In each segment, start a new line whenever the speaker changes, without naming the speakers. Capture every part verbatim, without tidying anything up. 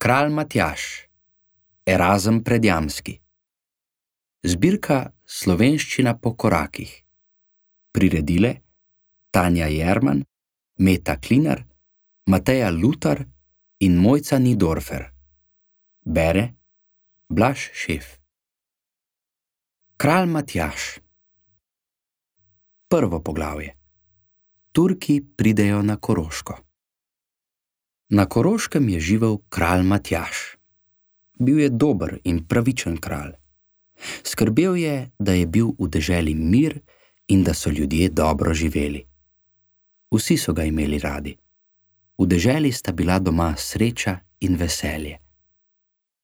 Kralj Matjaž, Erazem Predjamski. Zbirka Slovenščina po korakih. Priredile Tanja Jerman, Meta Klinar, Mateja Lutar in Mojca Nidorfer. Bere Blaž Šef. Kralj Matjaž. Prvo poglavje. Turki pridejo na Koroško. Na Koroškem je živel kralj Matjaž. Bil je dober in pravičen kralj. Skrbel je, da je bil v deželi mir in da so ljudje dobro živeli. Vsi so ga imeli radi. V deželi sta bila doma sreča in veselje.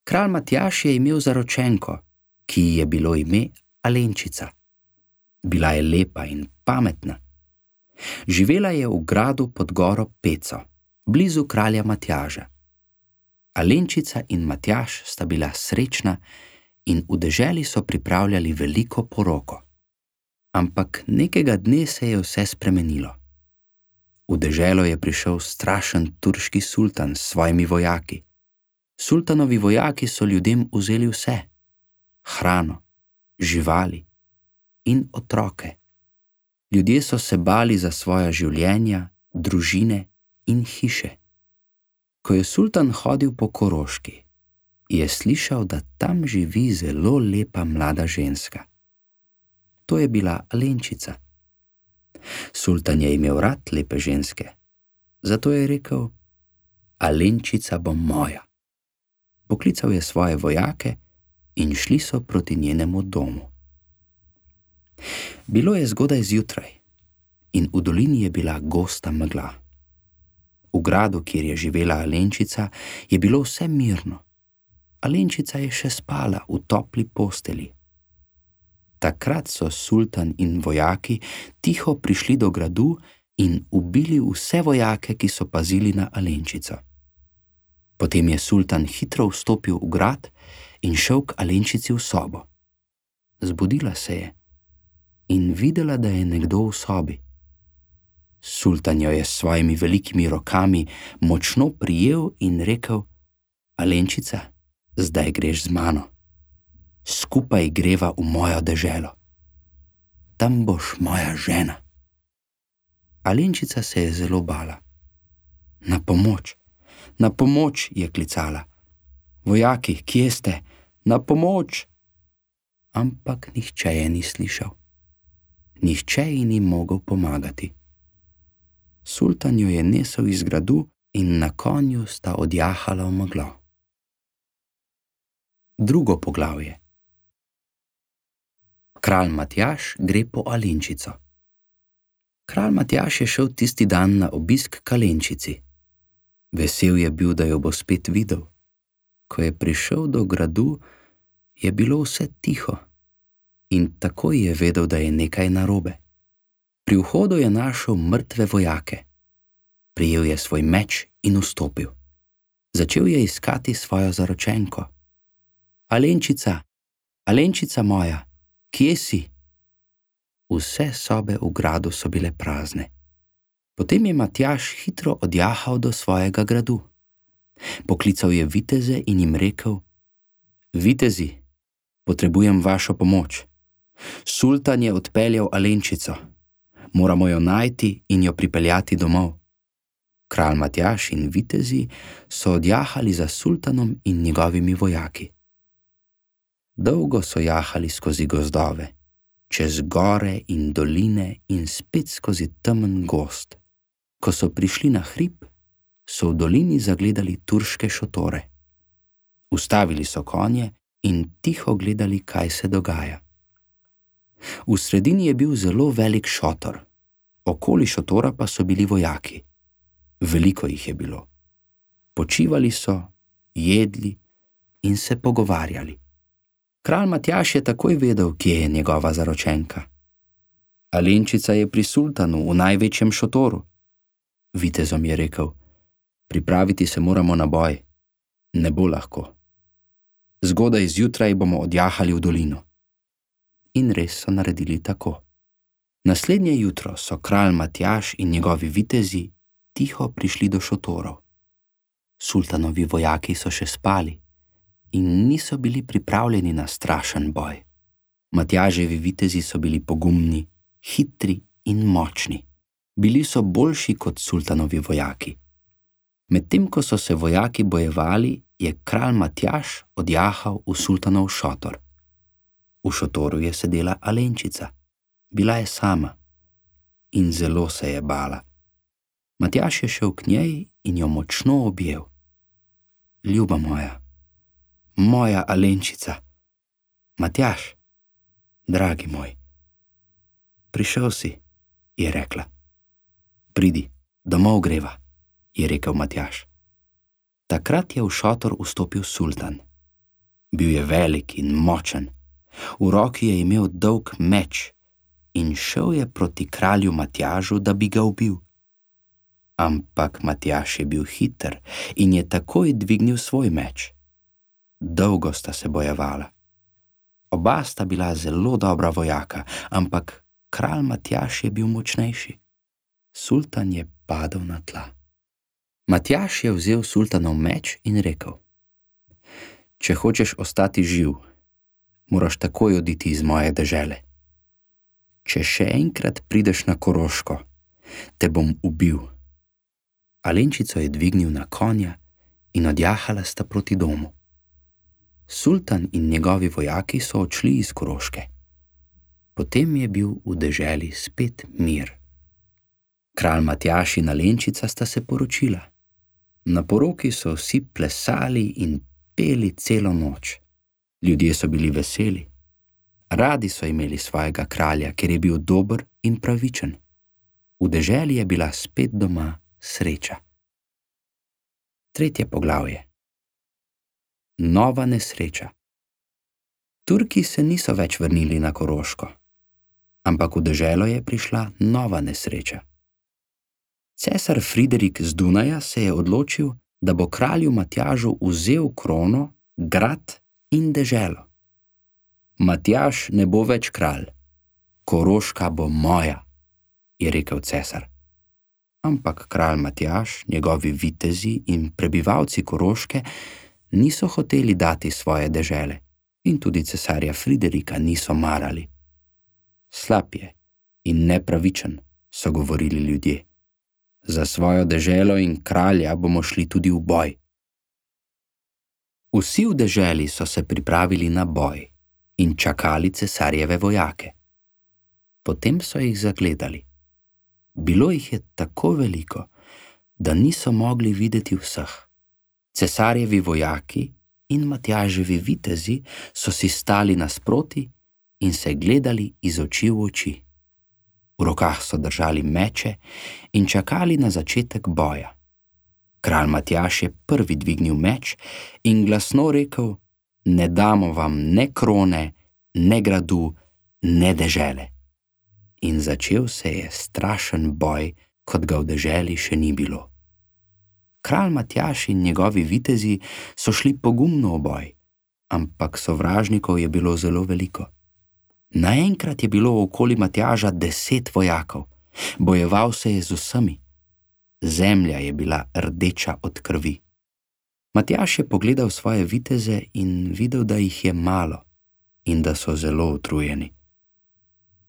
Kralj Matjaž je imel zaročenko, ki ji je bilo ime Alenčica. Bila je lepa in pametna. Živela je v gradu pod goro Peco, blizu kralja Matjaža. Alenčica in Matjaž sta bila srečna in v deželi so pripravljali veliko poroko. Ampak nekega dne se je vse spremenilo. V deželo je prišel strašen turški sultan s svojimi vojaki. Sultanovi vojaki so ljudem vzeli vse: hrano, živali in otroke. Ljudje so se bali za svoja življenja, družine in hiše. Ko je sultan hodil po Koroški, je slišal, da tam živi zelo lepa mlada ženska. To je bila Alenčica. Sultan je imel rad lepe ženske, zato je rekel: Alenčica bo moja. Poklical je svoje vojake in šli so proti njenemu domu. Bilo je zgodaj zjutraj in v dolini je bila gosta megla. V gradu, kjer je živela Alenčica, je bilo vse mirno. Alenčica je še spala v topli posteli. Takrat so sultan in vojaki tiho prišli do gradu in ubili vse vojake, ki so pazili na Alenčico. Potem je sultan hitro vstopil v grad in šel k Alenčici v sobo. Zbudila se je in videla, da je nekdo v sobi. Sultan jo je s svojimi velikimi rokami močno prijel in rekel: Alenčica, zdaj greš z mano. Skupaj greva v mojo deželo. Tam boš moja žena. Alenčica se je zelo bala. Na pomoč, na pomoč, je klicala. Vojaki, kje ste? Na pomoč! Ampak nihče je ni slišal. Nihče ji ni mogel pomagati. Sultan jo je nesel iz gradu in na konju sta odjahala v meglo. Drugo poglavje. Kralj Matjaž gre po Alenčico. Kralj Matjaž je šel tisti dan na obisk k Alenčici. Vesel je bil, da jo bo spet videl. Ko je prišel do gradu, je bilo vse tiho in takoj je vedel, da je nekaj narobe. Pri vhodu je našel mrtve vojake. Prijel je svoj meč in vstopil. Začel je iskati svojo zaročenko. Alenčica, Alenčica moja, kje si? Vse sobe v gradu so bile prazne. Potem je Matjaž hitro odjahal do svojega gradu. Poklical je viteze in jim rekel: Vitezi, potrebujem vašo pomoč. Sultan je odpeljal Alenčico. Moramo jo najti in jo pripeljati domov. Kralj Matjaž in vitezi so odjahali za sultanom in njegovimi vojaki. Dolgo so jahali skozi gozdove, čez gore in doline in spet skozi temen gozd. Ko so prišli na hrib, so v dolini zagledali turške šotore. Ustavili so konje in tiho gledali, kaj se dogaja. V sredini je bil zelo velik šotor, okoli šotora pa so bili vojaki. Veliko jih je bilo. Počivali so, jedli in se pogovarjali. Kralj Matjaž je takoj vedel, kje je njegova zaročenka. Alenčica je pri sultanu v največjem šotoru. Vitezom je rekel: Pripraviti se moramo na boj. Ne bo lahko. Zgodaj zjutraj bomo odjahali v dolino. In res so naredili tako. Naslednje jutro so kralj Matjaž in njegovi vitezi tiho prišli do šotorov. Sultanovi vojaki so še spali in niso bili pripravljeni na strašen boj. Matjaževi vitezi so bili pogumni, hitri in močni. Bili so boljši kot sultanovi vojaki. Medtem ko so se vojaki bojevali, je kralj Matjaž odjahal v sultanov šotor. V šotoru je sedela Alenčica. Bila je sama in zelo se je bala. Matjaž je šel k njej in jo močno objel. Ljuba moja, moja Alenčica. Matjaž, dragi moj, prišel si, je rekla. Pridi, domov greva, je rekel Matjaž. Takrat je v šotor vstopil sultan. Bil je velik in močen. V roki je imel dolg meč in šel je proti kralju Matjažu, da bi ga ubil. Ampak Matjaž je bil hiter in je takoj dvignil svoj meč. Dolgo sta se bojevala. Oba sta bila zelo dobra vojaka, ampak kralj Matjaž je bil močnejši. Sultan je padel na tla. Matjaž je vzel sultanov meč in rekel: Če hočeš ostati živ, moraš takoj oditi iz moje dežele. Če še enkrat prideš na Koroško, te bom ubil. Alenčico je dvignil na konja in odjahala sta proti domu. Sultan in njegovi vojaki so odšli iz Koroške. Potem je bil v deželi spet mir. Kralj Matjaž in Alenčica sta se poročila. Na poroki so vsi plesali in peli celo noč. Ljudje so bili veseli. Radi so imeli svojega kralja, ker je bil dober in pravičen. V deželi je bila spet doma sreča. Tretje poglavje. Nova nesreča. Turki se niso več vrnili na Koroško, ampak v deželo je prišla nova nesreča. Cesar Friderik z Dunaja se je odločil, da bo kralju Matjažu vzel krono, grad in deželo. Matjaž ne bo več kralj, Koroška bo moja, je rekel cesar. Ampak kralj Matjaž, njegovi vitezi in prebivalci Koroške niso hoteli dati svoje dežele in tudi cesarja Friderika niso marali. Slab je in nepravičen, so govorili ljudje. Za svojo deželo in kralja bomo šli tudi v boj. Vsi v deželi so se pripravili na boj in čakali cesarjeve vojake. Potem so jih zagledali. Bilo jih je tako veliko, da niso mogli videti vseh. Cesarjevi vojaki in Matjaževi vitezi so si stali nasproti in se gledali iz oči v oči. V rokah so držali meče in čakali na začetek boja. Kralj Matjaž je prvi dvignil meč in glasno rekel: Ne damo vam ne krone, ne gradu, ne dežele. In začel se je strašen boj, kot ga v deželi še ni bilo. Kralj Matjaž in njegovi vitezi so šli pogumno v boj, ampak sovražnikov je bilo zelo veliko. Naenkrat je bilo okoli Matjaža deset vojakov. Bojeval se je z vsemi. Zemlja je bila rdeča od krvi. Matjaž je pogledal svoje viteze in videl, da jih je malo in da so zelo utrujeni.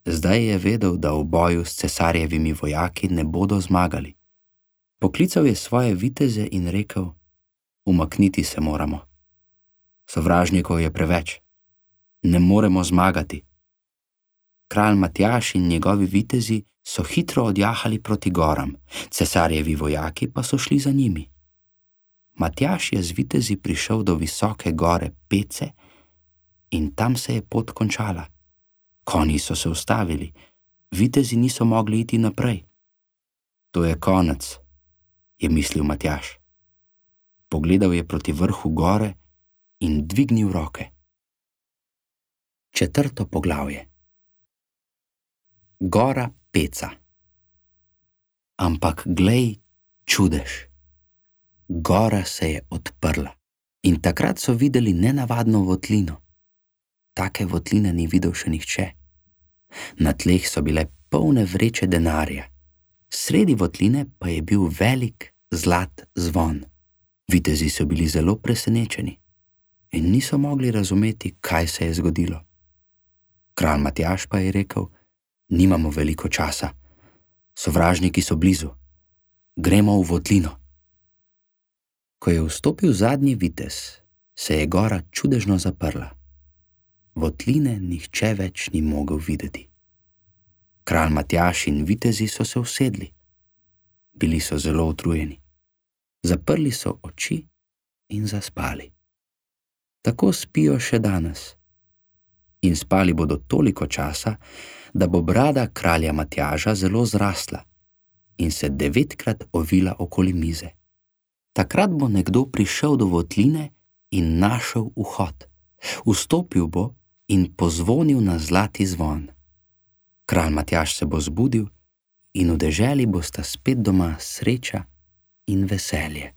Zdaj je vedel, da v boju s cesarjevimi vojaki ne bodo zmagali. Poklical je svoje viteze in rekel: Umakniti se moramo. Sovražnikov je preveč. Ne moremo zmagati. Kralj Matjaž in njegovi vitezi so hitro odjahali proti goram, cesarjevi vojaki pa so šli za njimi. Matjaž je z vitezi prišel do visoke gore Pece in tam se je pot končala. Konji so se ustavili, vitezi niso mogli iti naprej. To je konec, je mislil Matjaž. Pogledal je proti vrhu gore in dvignil roke. Četrto poglavje. Gora Peca. Ampak glej, čudež. Gora se je odprla in takrat so videli nenavadno votlino. Take votline ni videl še nihče. Na tleh so bile polne vreče denarja. Sredi votline pa je bil velik zlat zvon. Vitezi so bili zelo presenečeni in niso mogli razumeti, kaj se je zgodilo. Kralj Matjaž pa je rekel: nimamo veliko časa, sovražniki so blizu, gremo v votlino. Ko je vstopil zadnji vitez, se je gora čudežno zaprla. Votline nihče več ni mogel videti. Kralj Matjaž in vitezi so se usedli. Bili so zelo utrujeni. Zaprli so oči in zaspali. Tako spijo še danes. In spali bodo toliko časa, da bo brada kralja Matjaža zelo zrasla in se devetkrat ovila okoli mize. Takrat bo nekdo prišel do votline in našel vhod. Vstopil bo in pozvonil na zlati zvon. Kralj Matjaž se bo zbudil in v deželi bosta spet doma sreča in veselje.